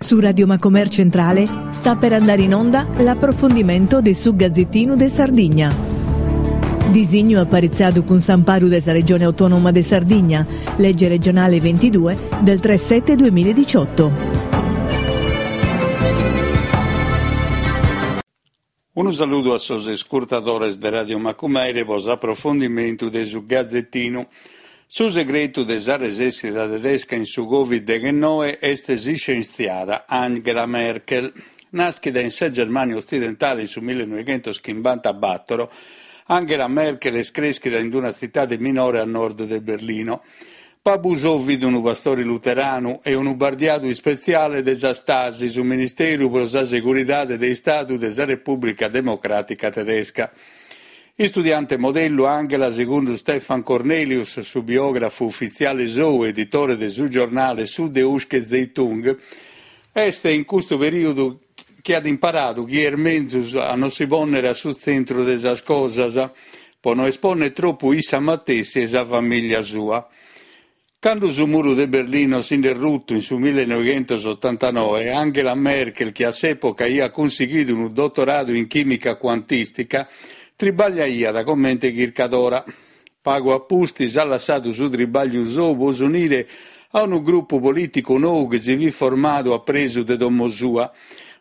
Su Radio Macomer Centrale sta per andare in onda l'approfondimento de su Gazzettinu de Sardigna. Disignu aparitzadu cun s'amparu de sa Regione Autonoma de Sardigna, legge regionale 22 del 3 7 2018. Unu saludu a sos iscurtadores de Radio Macumere pro s'aprofondimentu de su Gazetinu. Su segretu de sa resèssida tedesca in su Covid deghennoe est s'iscientziada Angela Merkel. Nàschida in sa Germània otzidentale in su millenoighentoschimbantabàtoro, Angela Merkel est crèschida in una tzitade minore a nord de Berlino. Babbu sou fit unu pastore luteranu e unu bardiadu ispetziale de sa Stasi, su Ministeru pro sa Seguridade de Istadu de sa Repùblica Democràtica Tedesca. Istudiante modellu, Angela, segundu Stefan Kornelius, su biògrafu ufitziale sou, editore de su giornale Süddeutsche Zeitung, est in custu perìodu chi at imparadu chi est menzus a non si pònnere a su tzentru de sas cosas, pro no espònnere tropu issa matessi e sa famìllia sua. Cando su muru de Berlino si nd'est rutu in su millenoighentosotantanoe, Angela Merkel, chi a s'època aiat cunsighidu unu dotoradu in chìmica cuantìstica, tribagliaiat comente chircadora. Pagu a pustis at lassadu su tribàgliu sou pro s'unire a unu grupu polìticu nou chi si fit formadu a presu de domo sua,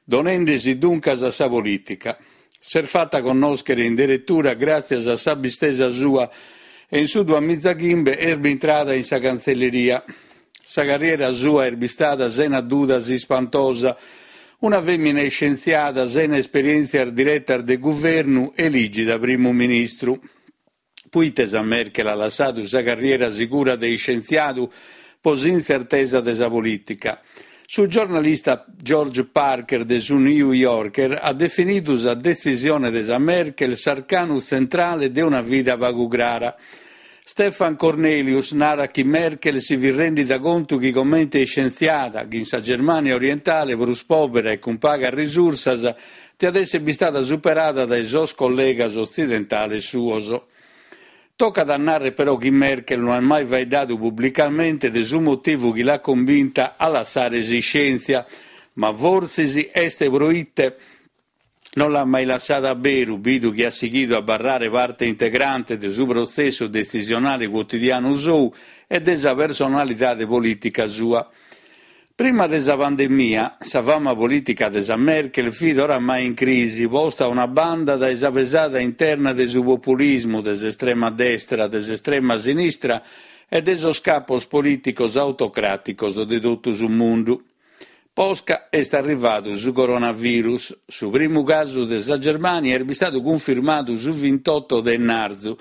donende-si duncas a sa polìtica. S'est fata connòschere in deretura gràtzias a s'abbistesa sua e in su duamizachimbe est bintrada in sa Cantzelleria. Sa carriera sua est bistada sena dudas ispantosa, una fèmina iscientziada sena esperièntzias diretas de guvernu elìgida primu ministru. Puite sa Merkel at lassadu sa carriera sigura de iscientziadu pro s'intzertesa de sa polìtica? Su giornalista George Parker de su New Yorker at definidu sa detzisione de sa Merkel s'arcanu tzentrale de una vida pagu crara. Stefan Kornelius narat chi Merkel si fit rèndida contu chi comente iscientziada, chi in sa Germània orientale prus pòbera e cun pagas risursas, Tiat èssere bistada superada dae sos collegas otzidentales suos. Tocat a nàrrere però chi Merkel no at mai faeddadu publicamente de su motivu chi l'at cumbinta a lassare s'iscièntzia, ma fortzis est pro ite non l'at mai lassada a beru, bidu chi at sighidu a abarrare parte integrante de su protzessu detzisionale cuotidianu sou e de sa personalidade polìtica sua. Prima de sa pandemia, sa fama polìtica de sa Merkel fit oramai in crisi, posta a una banda dae sa pesada interna de su populismu, de s'estrema destra, de s'estrema sinistra e de sos capos polìticos autocràticos de totu su mundu. Posca est arrivadu su coronavirus. Su primu casu de sa Germània est bistadu cunfirmadu su vintotto de ennarzu,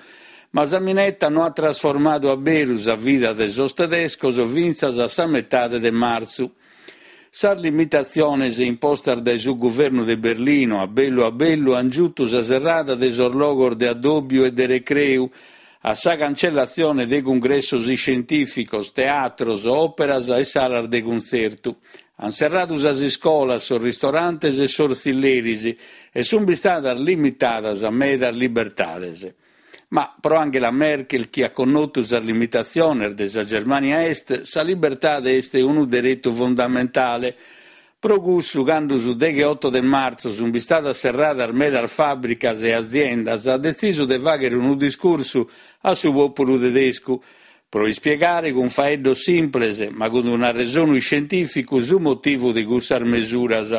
Ma sa mineta no at trasformadu a beru sa vida de sos tedescos fintzas a sa metade de martzu. Sas limitatziones impostas dae su guvernu de Berlino a bellu a bellu ant giutu sa serrada de sos logos de addòbiu e de recreu, a sa cancellatzione de cungressos iscientìficos, teatros, òperas e salas de cuntzertu. Ant serradu sas iscolas, sos ristorantes e sos tzilleris e sunt bistadas limitadas medas libertades. Ma pro Angela Merkel, chi at connotu sas limitatziones de sa Germània Est, sa libertade est unu deretu fundamentale. Pro cussu, cando su degheoto de martzu sunt bistadas serradas medas fàbricas e aziendas, at detzisu de fàghere unu discursu a su pòpulu tedescu, pro ispiegare cun faeddos simples, ma cun un'arresonu iscientìficu, su motivu de cussas mesuras.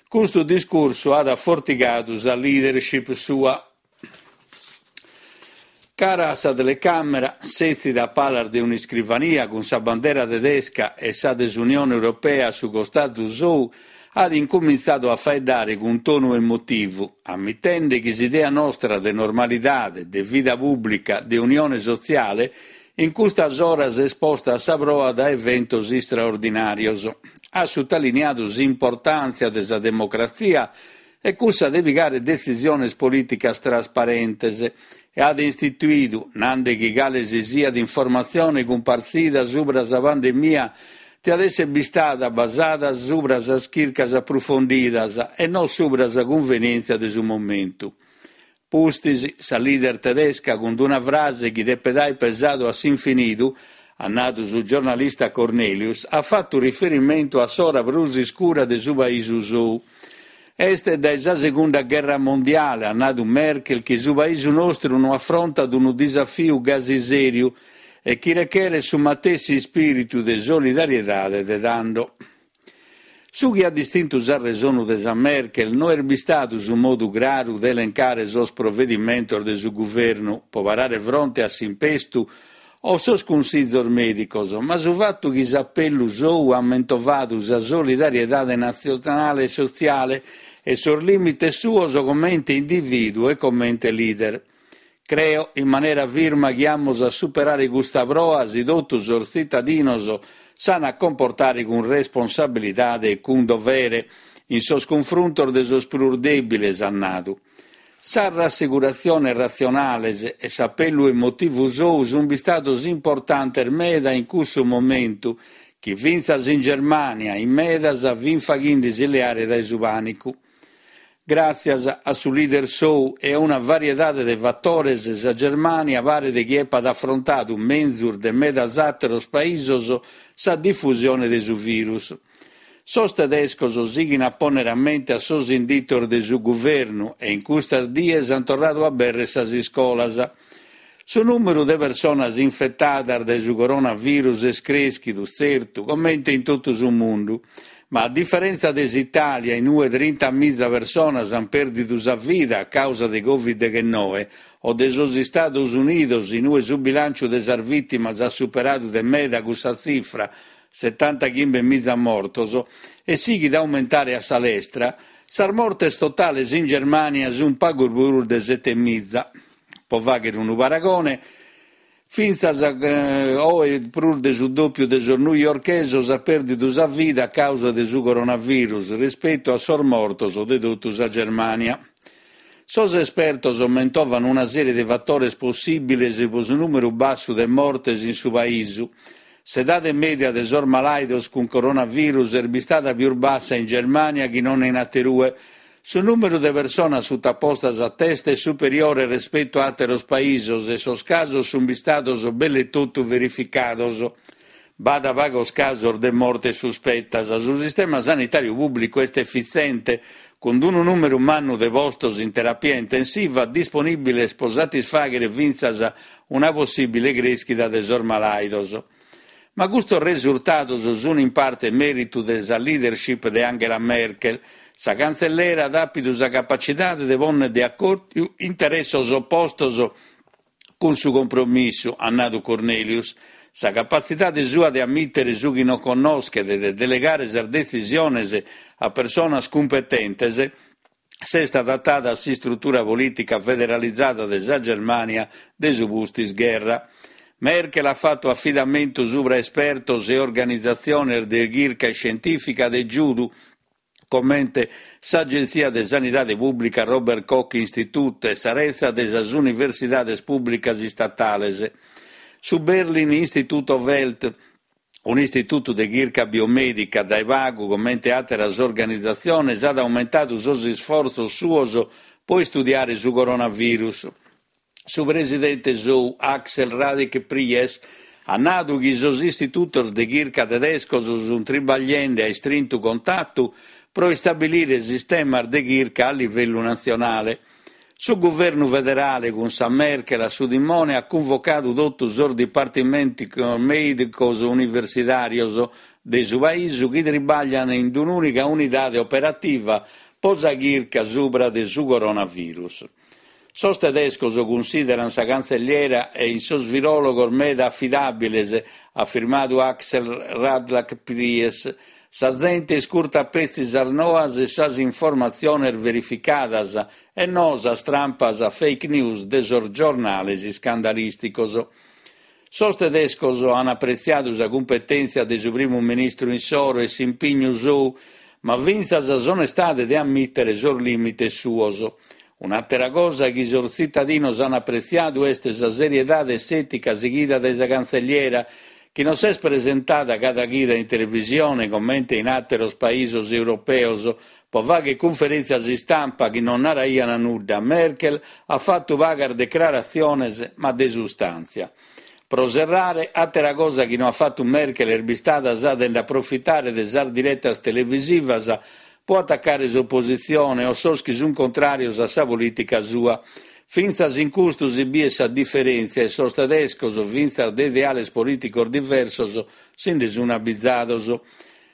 Custu discursu at afortigadu sa leadership sua. Cara a sa telecàmera, sètzida a palas de un'iscrivania cun sa bandera tedesca e sa de s'Unione Europea a su costazu sou, at incumintzadu a faeddare cun tonu emotivu, ammitende chi s'idea nostra de normalidade, de vida pùblica, de unione sotziale, in custas oras est posta a sa proa dae eventos istraordinàrios. At sutaliniadu s'importàntzia de sa democratzia e cussa de pigare detzisiones polìticas trasparentes, e at istituidu, nande chi cale si siat informatzione cumpartzida subra sa pandemia tiat èssere bistada basada subra sas chircas aprofondidas e no subra sa cunvenièntzia de su momentu. Pustis, sa leader tedesca, cun una frase chi depet aer pesadu a s'infinidu, at nadu su giornalista Cornelius, at fatu riferimentu a s'ora prus iscura de su paisu sou. Est dae sa segunda gherra mondiale, at nadu Merkel, chi su paisu nostru no afrontat unu disafiu gasi sèriu e chi recheret su matessi ispìritu de solidariedade de tando. Su chi at distintu s'arresonu de sa Merkel no est bistadu su modu craru de elencare sos provedimentos de su guvernu pro parare fronte a s'impestu o sos cunsizos mèdicos, ma su fatu chi s'apellu sou at mentovadu sa solidariedade natzionale e sotziale e sos lìmites suos comente indivìduu e comente leader. Creo in manera firma chi amus a superare custa proa si totu sos tzitadinos s'an a comportare cun responsabilidade e cun dovere in sos cunfruntos de sos prus dèbiles, at nadu. Sas rasseguratziones ratzionales e s'apellu emotivu sou sunt bistados importantes meda in cussu momentu chi fintzas in Germània in medas fint faghende·si leare dae su pànicu. Gràtzias a su leader sou e a una variedade de fatores sa Germània paret chi epat afrontadu menzus de medas àteros paisos sa difusione de su virus. Sos tedescos sighin a pònnere a mente a sos inditos de su guvernu e in custas dies ant torradu a abèrrere sas iscolas. Su nùmeru de personas infetadas dae su coronavirus est crèschidu, tzertu, comente in totu su mundu. Ma a diferèntzia de s'Itàlia, in ue trintamiza personas ant pèrdidu sa vida a càusa de Covid deghennoe, o de sos Istados Unidos, in ue su bilànciu de sas vìtimas at superadu de meda cussa tzifra, setantachimbemiza mortos, e sighit a aumentare a sa lestra, sas mortes totales in Germània sunt pagu prus de setemiza. Pro fàghere unu paragone, fintzas oe prus de su dòpiu de sos newyorkesos at pèrdidu sa vida a càusa de su coronavirus rispetu a sos mortos de totu sa Germània. Sos espertos mentovan una sèrie de fatores possìbiles pro su nùmeru bassu de mortes in su paisu. S'edade mèdia de sos malàidos cun coronavirus est bistada pius bassa in Germània chi non in aterue. Su nùmeru de personas sutapostas a test est superiore respetu a àteros paisos e sos casos sunt bistados belle totu verificados. B'at pagos casos de mortes suspetas. Su sistema sanitàriu pùblicu est efitzente, cun unu nùmeru mannu de postos in terapia intensiva disponìbiles pro satisfàghere fintzas una possìbile crèschida de sos malàidos. Ma custos resurtados sunt in parte mèritu de sa leadership de Angela Merkel. Sa cantzellera at àpidu sa capacidade de pònnere de acòrdiu interessos opostos Cun su compromissu, at nadu Cornelius, sa capatzidade sua de ammìtere su chi non connoschet e de delegare sas detzisiones a personas cumpetentes, s'est adatada a s'istrutura polìtica federalizada de sa Germània de su pustis gherra. Merkel at fatu afidamentu subra espertos e organizatziones de chirca iscientìfica de giudu, comente s'Agentzia de Sanidade Pùblica Robert Koch Institut e sa retza de sas universidades pùblicas istatales. Su Berlin Institute of Health, un'istitutu de chirca biomèdica dae pagu comente àteras organizatziones, at aumentadu sos isfortzos suos pro istudiare su coronavirus. Su presidente sou, Axel Radich-Pries, at nadu chi sos istitutos de chirca tedescos sunt tribagliende a istrintu contatu pro istabilire sistemas de chirca a livellu natzionale. Su guvernu federale, cun sa Merkel a su timone, at cunvocadu totu sos dipartimentos mèdicos universitàrios de su paisu chi tribaglian in un'ùnica unidade operativa pro sa chirca subra de su coronavirus. Sos tedescos cunsìderant sa cantzelliera e sos viròlogos meda afidàbiles, at afirmadu Axel Radlach-Pries. Sa zente iscurtat petzi sas noas e sas informatziones verificadas e no sas trampas fake news de sos giornales iscandalìsticos. Sos tedescos an apretziadu sa cumpetèntzia de su primu ministru issoro e s'impignu sou, ma fintzas s'onestade de ammìtere sos lìmites suos. Un'àtera cosa chi sos tzitadinos an apretziadu est sa seriedade e s'ètica sighida dae sa cantzelliera, chi non s'est presentada cada chida in televisione comente in àteros paisos europeos pro fàghere cunferèntzias istampa chi non naraiant nudda, Merkel at fatu pagas decraratziones, ma de sustàntzia. Pro serrare, àtera cosa chi no at fatu Merkel est bistada sa de nd'aprofitare de sas diretas televisivas pro atacare s'opositzione o sos chi sunt contràrios a sa polìtica sua. Fintzas in custu si biet sa diferèntzia e sos tedescos, fintzas de ideales polìticos diversos, si nde sunt abizados.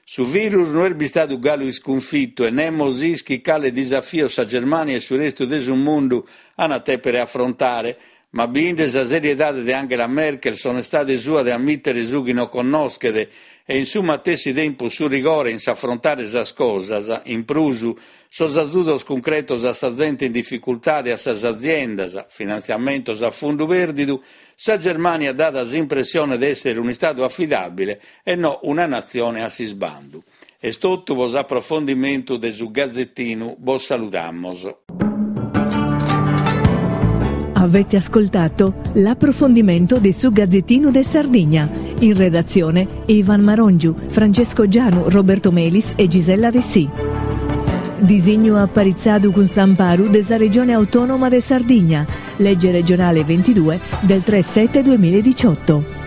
Su virus no est bistadu galu iscunfitu e nemos ischit cale disafios sa Germània e su restu de su mundu an a tèpere afrontare. Ma biende sa seriedade de Angela Merkel, s'onestade sua de ammìtere su chi no connoschet e in su matessi tempus su rigore in s'afrontare sas cosas, in prus sos azudos cuncretos a sa zente in dificultade e a sas aziendas, finantziamentos a fundu pèrdidu, sa Germània dat s'impressione de èssere un'istadu afidàbile e no una natzione a s'isbandu. Est totu pro s'aprofondimentu de su Gazetinu, bos saludamos. Avete ascoltato l'approfondimento de su Gazzettino de Sardigna. In redazione Ivan Marongiu, Francesco Gianu, Roberto Melis e Gisella Dessì. Disignu aparitzadu cun s'amparu de sa Regione Autonoma de Sardigna, legge regionale 22 del 3 7 2018.